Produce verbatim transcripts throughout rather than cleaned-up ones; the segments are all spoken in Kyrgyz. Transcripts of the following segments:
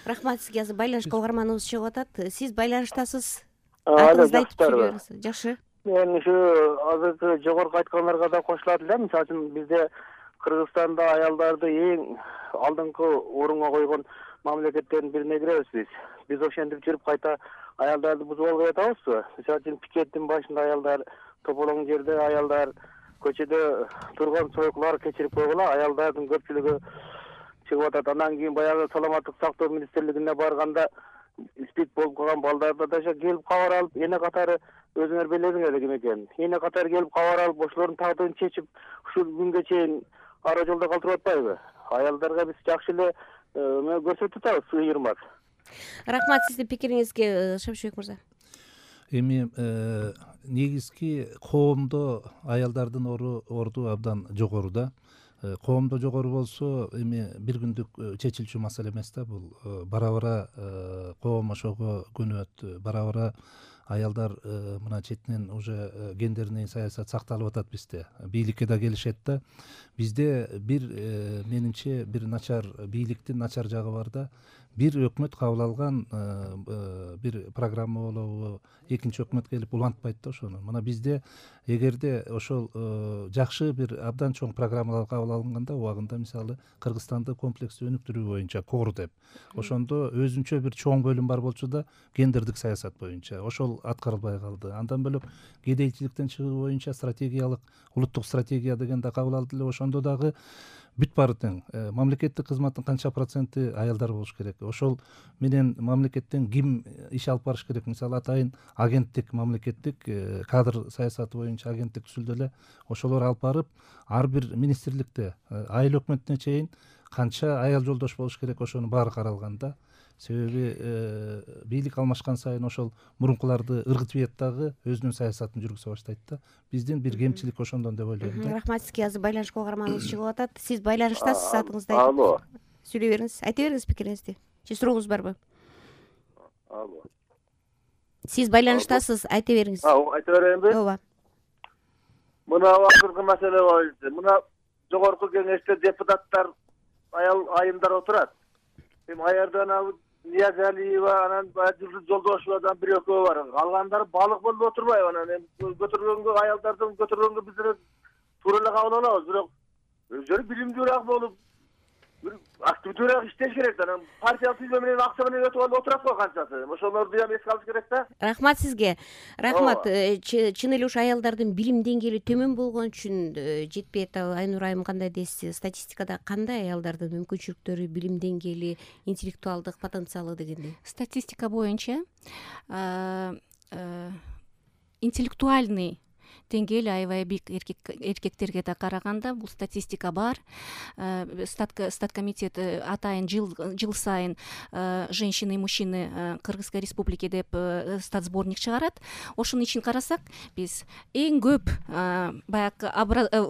Рахмат сизге. Азыр байланышка угарманыбыз чыгып атат. Сиз байланыштасыз. Алло, Атыңызды айтып жакшыбы? бериңиз. Жакшы. Мен ушу азыркы жогорку айткандарга да кошулат элем. Мисалы үчүн бизде Кыргызстанда аялдарды эң алдыңкы орунга койгон мамлекеттердин бирине киребиз биз. Биз ошентип жүрүп кайта аялдарды бузуп албай атабызбы? Мисалы үчүн пикеттин башында аялдар, тополоң жерде аялдар, көчөдө турган сойкулар кечирип койгула, аялдардын көпчүлүгү чыгып атат. Андан кийин баягы саламаттык сактоо министрлигине барганда спид болуп калган балдарды да келип кабар алып, эне катары өзүңөр билесиңер ким экенин. Эне катары келип кабар алып, ошолордун тагдырын чечип, ушул күнгө чейин ара жолдо калтырып атпайбы? Аялдарга биз жакшы эле көрсөтүп атабыз, ыйырмак. Рахмат сиздин пикириңизге, Шамшыбек мырза. Эми негизги коомдо аялдардын орду абдан жогору да. Коомдо жогору болсо эми бир күндүк чечилчү маселе эмес да бул. Бара-бара коом ошого көнөт, бара-бара аялдар мына четинен уже гендерный саясат сакталып атат бизде. Бийликке да келишет да. Бизде бир менимче бир начар бийликтин начар жагы бар да. Бир өкмөт кабыл алган бир программа болобу, экинчи өкмөт келип улантпайт да ошону. Мына бизде эгерде ошол жакшы бир абдан чоң программалар кабыл алынганда, убагында мисалы Кыргызстанды комплекстүү өнүктүрүү боюнча кор деп, ошондо өзүнчө бир чоң бөлүм бар болчу да, гендердик саясат боюнча ошол аткарылбай калды. Андан бөлөк кедейчиликтен чыгуу боюнча стратегиялык улуттук стратегия деген да кабыл алды эле. Ошондо дагы бүт баары тең. Мамлекеттик кызматтын канча проценти аялдар болуш керек? Ошол менен мамлекеттен ким иш алып барыш керек? Мисалы атайын агенттик, мамлекеттик кадр саясаты боюнча агенттик түзүлдү эле. Ошолор алып барып, ар бир министрликте айыл өкмөтүнө чейин канча аял жолдош болуш керек, ошонун баары каралган да. Себеби бийлик алмашкан сайын ошол мурункуларды ыргытып ийет дагы өзүнүн саясатын жүргүзө баштайт да. Биздин бир кемчилик ошондон деп ойлойм да. Рахмат сизге. Азыр байланышка угарманыбыз чыгып атат. Сиз байланыштасыз, атыңызды айтып. Алло. Сүйлөй бериңиз. Айта бериңиз пикириңизди. Же сурооңуз барбы? Алло. Сиз байланыштасыз, айта бериңиз. Айта берейинби? Ооба. Мына акыркы маселе боюнча, мына жогорку кеңеште депутаттар аял айымдар отурат. Эми аярдан алып Ниязалиева, анан Жылдыз Жолдошевадан бир экөө бар. Калгандары балык болуп отурбайбы? Анан эми көтөргөнгө аялдардын көтөргөнгө биздер туура эле кабыл алабыз, бирок өзүлөрү билимдүүрөөк болуп, бир активдүүрөөк иштеш керек да. Анан партиялык тизме менен акча менен өтүп алып отурат го канчасы. Ошолорду дагы эске алыш керек да. Рахмат сизге. Рахмат. Чын эле ушу аялдардын билим деңгээли төмөн болгон үчүн жетпейт. Айнур айым кандай дейсиз? Статистикада кандай аялдардын мүмкүнчүлүктөрү, билим деңгээли, интеллектуалдык потенциалы дегендей? Статистика боюнча интеллектуальный деңгээл аябай бийик эркектерге да караганда бул статистика бар. Статкомитет атайын жыл жыл сайын женщины и мужчины Кыргызской республики деп статсборник чыгарат. Ошонун ичин карасак, биз эң көп баягы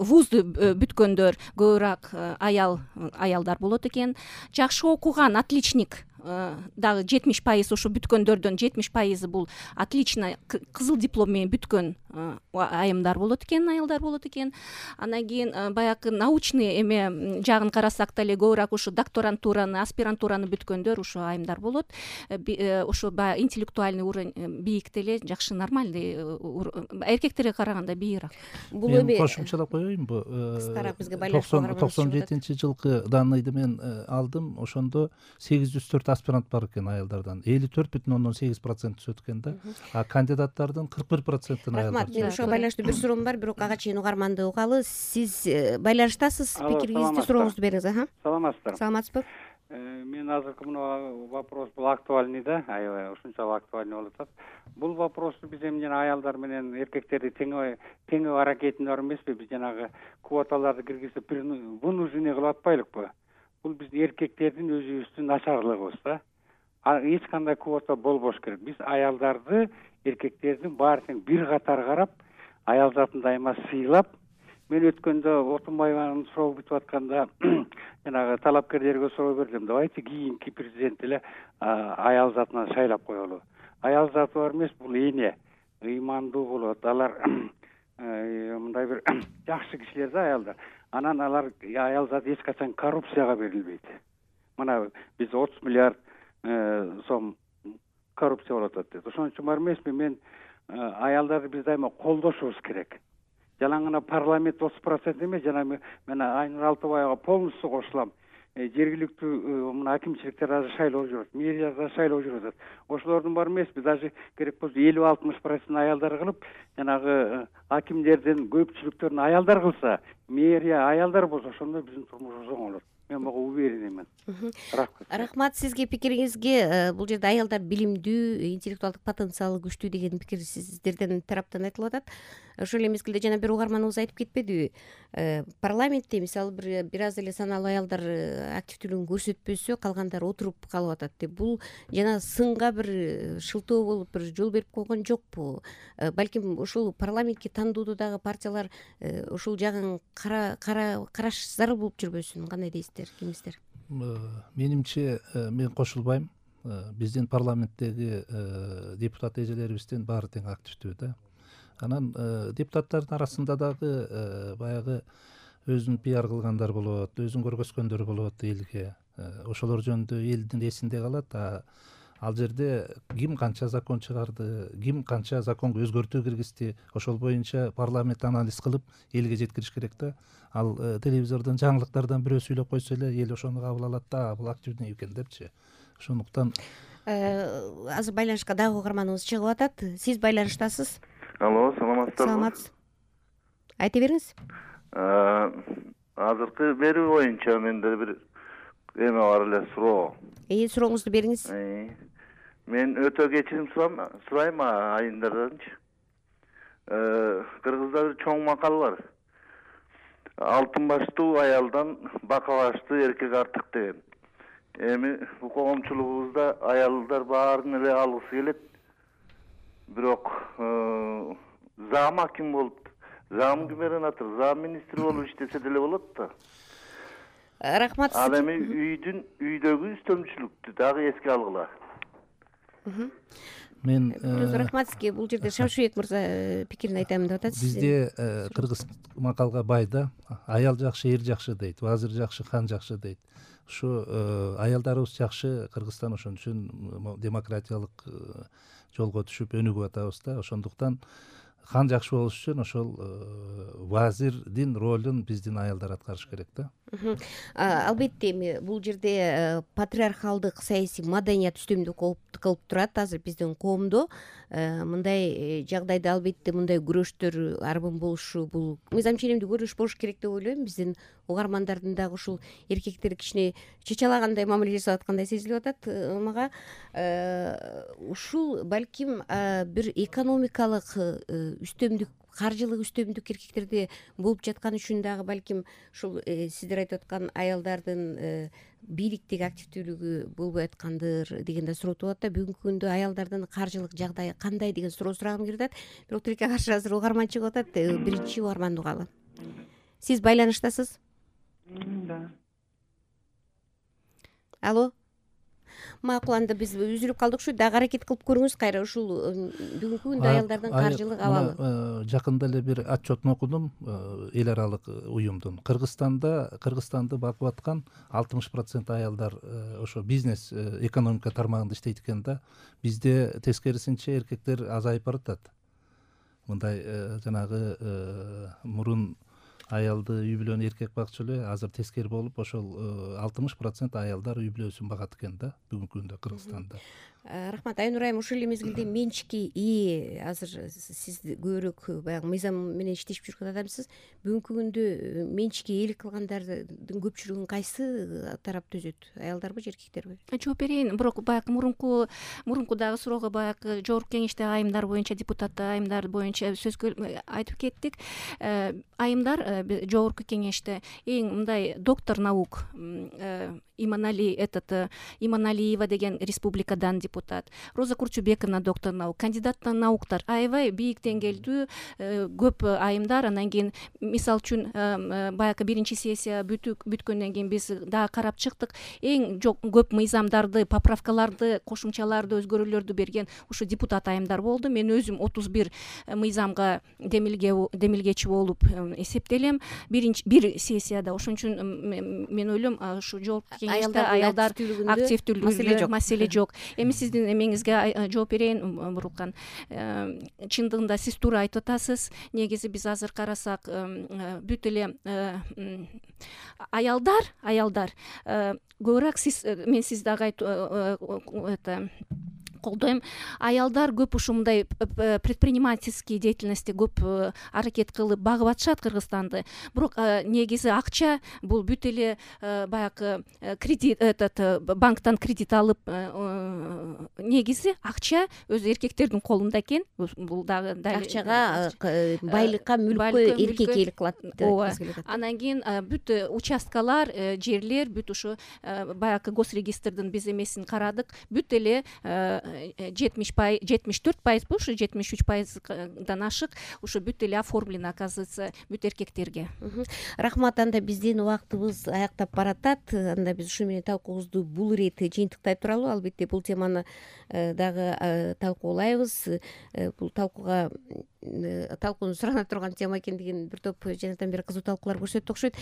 вузду бүткөндөр көбүрөөк аял аялдар болот экен. Жакшы окуган отличник дагы жетимиш пайыз ушу бүткөндөрдөн жетимиш пайызы бул отлично кызыл диплом менен бүткөн айымдар болот экен, аялдар болот экен. Андан кийин баягы научный эме жагын карасак деле көбүрөөк ушу докторантураны, аспирантураны бүткөндөр ушу айымдар болот. Ушу баягы интеллектуальный уровень бийик деле, жакшы нормальный эркектерге караганда бийигирээк. Бул эми кошумчалап коеюнбу? Кыскараак бизге байланышып токсон жетинчи жылкы данныйды мен алдым. Ошондо сегиз жүз төрт аспирант бар экен аялдардан. элүү төрт бүтүн ондон сегиз процент түсөт экен да. А кандидаттардын кырк бир процентин аялдар. Мен ошого байланыштуу бир суроом бар, бирок ага чейин угарманды угалы. Сиз байланыштасыз, пикириңизди, сурооңузду бериңиз. Аха. Саламатсыздар. Саламатсызбы? Мен азыркы мына вопрос бул актуальный да, аябай ушунчалык актуальный болуп атат. Бул вопросту биз эми жана аялдар менен эркектерди тең теңөө аракетинде бар эмеспи? Биз жанагы квоталарды киргизип вынуждение кылып атпайлыкпы? Бул биздин эркектердин өзүбүздүн начарлыгыбыз да. Эч кандай квота болбош керек. Биз аялдарды, эркектердин баары тең бир катар карап, аял затын дайыма сыйлап, мен өткөндө Отунбаеванын суроо бүтүп атканда жанагы талапкерлерге суроо бердим. Давайте кийинки президент эле аял затынан шайлап коелу. Аял заты бар эмес, бул эне, ыймандуу болот. Алар мындай бир жакшы кишилер да аялдар. Анан алар аял заты эч качан коррупцияга берилбейт. Мына биз отуз миллиард сом коррупция болуп атат дейт. Ошон үчүн бар эмеспи, мен аялдарды биз дайыма колдошубуз керек. Жалаң гана парламент отуз процент эмес, жана мен Айнур Алтыбаевага полностью кошулам. Жергиликтүү мына акимчиликтер азыр шайлоо жүрөт, мэрияларда шайлоо жүрөт. Ошолордун бар эмеспи, даже керек болсо элүү алтымыш процент аялдар кылып, жанагы акимдердин көпчүлүктөрүн аялдар кылса, мэрия аялдар болсо, ошондо биздин турмушубуз оңой болот. Мен буга уверенныймын. Рахмат. Рахмат сизге пикириңизге. Бул жерде аялдар билимдүү, интеллектуалдык потенциалы күчтүү деген пикир сиздердин тараптан айтылып атат. Ошол эле мезгилде жана бир угарманыбыз айтып кетпедиби? Парламентте мисалы бир бир аз эле саналуу аялдар активдүүлүгүн көрсөтпөсө, калгандары отуруп калып атат деп. Бул жана сынга бир шылтоо болуп бир жол берип койгон жокпу? Балким ушул парламентке тандоодо дагы партиялар ушул жагын кара караш зарыл болуп жүрбөсүн? Кандай дейсиздер, кимиздер? Менимче мен кошулбайм. Биздин парламенттеги депутат эжелерибиздин баары тең активдүү да. Анан депутаттардын арасында дагы баягы өзүн пиар кылгандар болот, өзүн көргөзгөндөр болот элге. Ошолор жөнүндө элдин эсинде калат. Ал жерде ким канча закон чыгарды, ким канча законго өзгөртүү киргизди, ошол боюнча парламент анализ кылып элге жеткириш керек да. Ал телевизордон жаңылыктардан бирөө сүйлөп койсо эле эл ошону кабыл алат да, бул активный экен депчи. Ошондуктан азыр байланышка дагы угарманыбыз чыгып атат. Сиз байланыштасыз. Алло, саламатсыздарбы? Саламатсыз. Айта бериңиз. Азыркы берүү боюнча менде бир эме бар эле, суроо. Э, сурооңузду бериңиз. Мен өтө кечирим сурайм айымдарданчы. Кыргызда бир чоң макал бар. Алтын баштуу аялдан бака баштуу эркек артык деген. Эми бул коомчулугубузда аялдар баарын эле алгысы келет. Бирок зам аким болуп, зам губернатор, зам министр болуп иштесе деле болот да. Рахмат. Ал эми үйдүн үйдөгү үстөмчүлүктү дагы эске алгыла. Мен рахмат сизге. Бул жерде Шамшыбек мырза пикирин айтамын деп атат. Бизде кыргыз макалга бай да. Аял жакшы, эр жакшы дейт. Вазир жакшы, хан жакшы дейт. Ушу аялдарыбыз жакшы, Кыргызстан ошон үчүн демократиялык жолго түшүп өнүгүп атабыз да. Ошондуктан хан жакшы болуш үчүн ошол вазирдин ролун биздин аялдар аткарыш керек да. Албетте эми бул жерде патриархалдык саясий маданият үстөмдүк кылып турат азыр биздин коомдо. Мындай жагдайда албетте мындай күрөштөр арбын болушу бул мыйзам ченемдүү күрөш болуш керек деп ойлойм. Биздин угармандардын дагы ушул эркектер кичине чачалагандай мамиле жасап аткандай сезилип атат мага. Ушул балким бир экономикалык үстөмдүк, каржылык үстөмдүк эркектерде болуп жаткан үчүн дагы балким ушул сиздер айтып аткан аялдардын бийликтеги активдүүлүгү болбой аткандыр деген да суроо туулат да. Бүгүнкү күндө аялдардын каржылык жагдайы кандай деген суроо сурагым келип атат. Бирок тилекке каршы азыр угарман чыгып атат. Биринчи угарманды угалы. Сиз байланыштасыз? Да. Алло. Макул, анда биз үзүлүп калдык ушу. Дагы аракет кылып көрүңүз кайра ушул бүгүнкү күндө аялдардын каржылык абалы. Жакында эле бир отчетун окудум эл аралык уюмдун. Кыргызстанда Кыргызстанды багып аткан алтымыш процент аялдар ошо бизнес, экономика тармагында иштейт экен да. Бизде тескерисинче эркектер азайып баратат. Мындай жанагы мурун аялды үй бүлөнү эркек бакчу эле, азыр тескери болуп ошол алтымыш процент аялдар үй бүлөсүн багат экен да бүгүнкү күндө Кыргызстанда. Рахмат. Айнур айым, ошол эле мезгилде менчикке ээ азыр сиз көбүрөөк баягы мыйзам менен иштешип жүргөн адамсыз. Бүгүнкү күндө менчикке ээлик кылгандардын көпчүлүгүн кайсы тарап түзөт? Аялдарбы же эркектерби? Жооп берейин. Бирок баягы мурунку мурунку дагы суроого баягы жогорку кеңештеги айымдар боюнча, депутат айымдар боюнча сөз айтып кеттик. Айымдар жогорку кеңеште эң мындай доктор наук Иманалиева деген республикадан депутат депутат, Роза Курчубековна доктор наук, кандидат науктар аябай бийик деңгээлдүү көп айымдар. Анан кийин мисалы үчүн баягы биринчи сессия бүткөндөн кийин биз дагы карап чыктык. Эң көп мыйзамдарды, поправкаларды, кошумчаларды, өзгөрүүлөрдү берген ушу депутат айымдар болду. Мен өзүм отуз бир мыйзамга демилгечи болуп эсептелем биринчи бир сессияда. Ошон үчүн мен ойлойм ушу жогорку кеңеште аялдар активдүүлүгүндө маселе жок. Эми сиздин эмеңизге жооп берейин, Бурулкан. Чындыгында сиз туура айтып атасыз. Негизи биз азыр карасак бүт эле аялдар аялдар көбүрөөк сиз мен сиз дагы это колдойм. Аялдар көп ушундай предпринимательский деятельностьте көп аракет кылып багып атышат Кыргызстанды. Бирок негизи акча бул бүт эле баягы кредит этот банктан кредит алып, негизи акча өзү эркектердин колунда экен. Бул дагы акчага, байлыкка, мүлккө эркек ээлик кылат. Ооба. Анан кийин бүт участкалар, жерлер, бүт ушу баягы госрегистрдин биз эмесин карадык. Бүт эле жетимиш пайыз жетимиш төрт пайызбы ушу жетимиш үч пайыздан ашык ушу бүт эле оформлено, оказывается, бүт эркектерге. Рахмат. Анда биздин убактыбыз аяктап баратат. Анда биз ушу менен талкуубузду бул ирет жыйынтыктай туралы. Албетте бул теманы дагы талкуулайбыз. Бул талкууга талкууну сурана турган тема экендигин бир топ жанатан бери кызуу талкуулар көрсөттү окшойт.